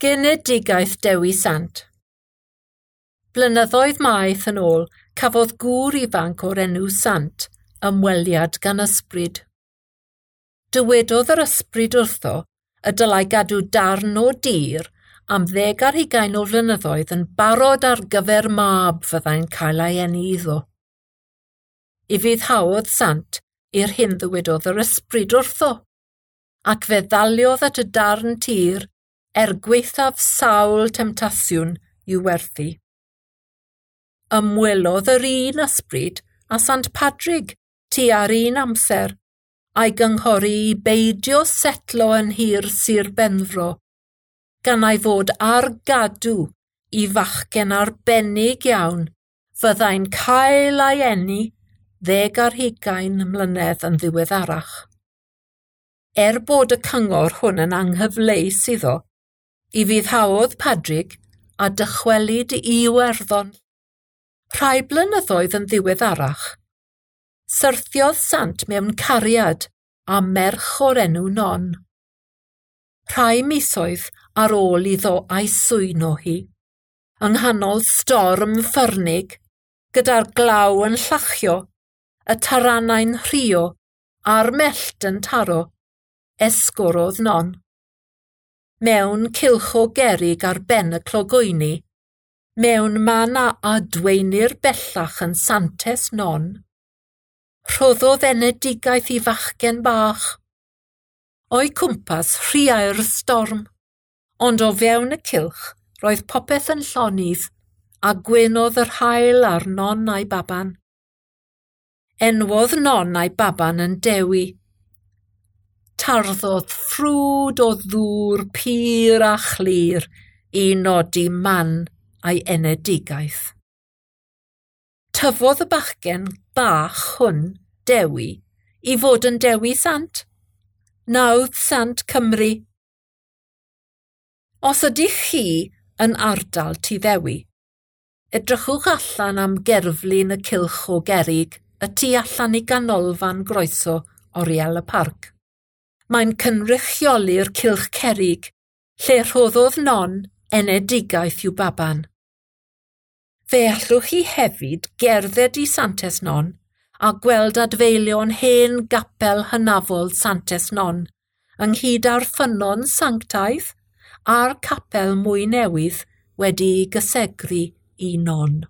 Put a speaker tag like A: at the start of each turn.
A: Genedigaeth Dewi Sant. Blynyddoedd maith yn ôl, cafodd gŵr ifanc o'r enw Sant ymweliad gan ysbryd. Dywedodd yr ysbryd wrtho y dylai gadw darn o dir am 20 o flynyddoedd yn barod ar gyfer mab fyddai'n cael ei eni iddo. Ufuddhaodd Sant i'r hyn ddywedodd yr ysbryd wrtho, ac fe ddaliodd at y darn tir er gwaethaf sawl temtasiwn i'w werthu. Ymwelodd yr un ysbryd â Sant Padrig tua'r un amser, a'i gynghori i beidio setlo yn nhir Sir Benfro, gan ei fod ar gadw i fachgen arbennig iawn fyddai'n cael ei eni 20 mlynedd yn ddiweddarach. Er bod y cyngor hwn yn anghyfleus iddo, ufuddhaodd Padrig a dychwelyd i Iwerddon. Rhai blynyddoedd yn ddiweddarach, syrthiodd Sant mewn cariad â merch o'r enw Non. Rhai misoedd ar ôl iddo a'i swyno hi, yng nghanol storm ffyrnig, gyda'r glaw yn llachio, y taranau'n rhuo a'r mellt yn taro, esgorodd Non. Mewn cylch o gerrig ar ben y clogwyni, mewn man a adweinir bellach yn Santes Non, rhoddodd enedigaeth i fachgen bach. O'i cwmpas rhuai'r storm, ond o fewn y cylch roedd popeth yn llonydd a gwenodd yr haul ar Non a'i baban. Enwodd Non a'i baban yn Dewi. Tarddodd ffrwd o ddŵr pur a chlir i nodi man a'i enedigaeth. Tyfodd y bachgen bach hwn, Dewi, i fod yn Dewi Sant, nawdd Sant Cymru. Os ydych chi yn ardal Tŷ Ddewi, edrychwch allan am gerflun y cylch o gerrig y tu allan i ganolfan groeso Oriel y Parc. Mae'n cynrychioli'r cylch cerrig, lle rhoddodd Non enedigaeth i'w baban. Fe allwch chi hefyd gerdded i Santes Non a gweld adfeilion hen gapel hynafol Santes Non, ynghyd â'r ffynnon sanctaidd a'r capel mwy newydd wedi'i gysegru i Non.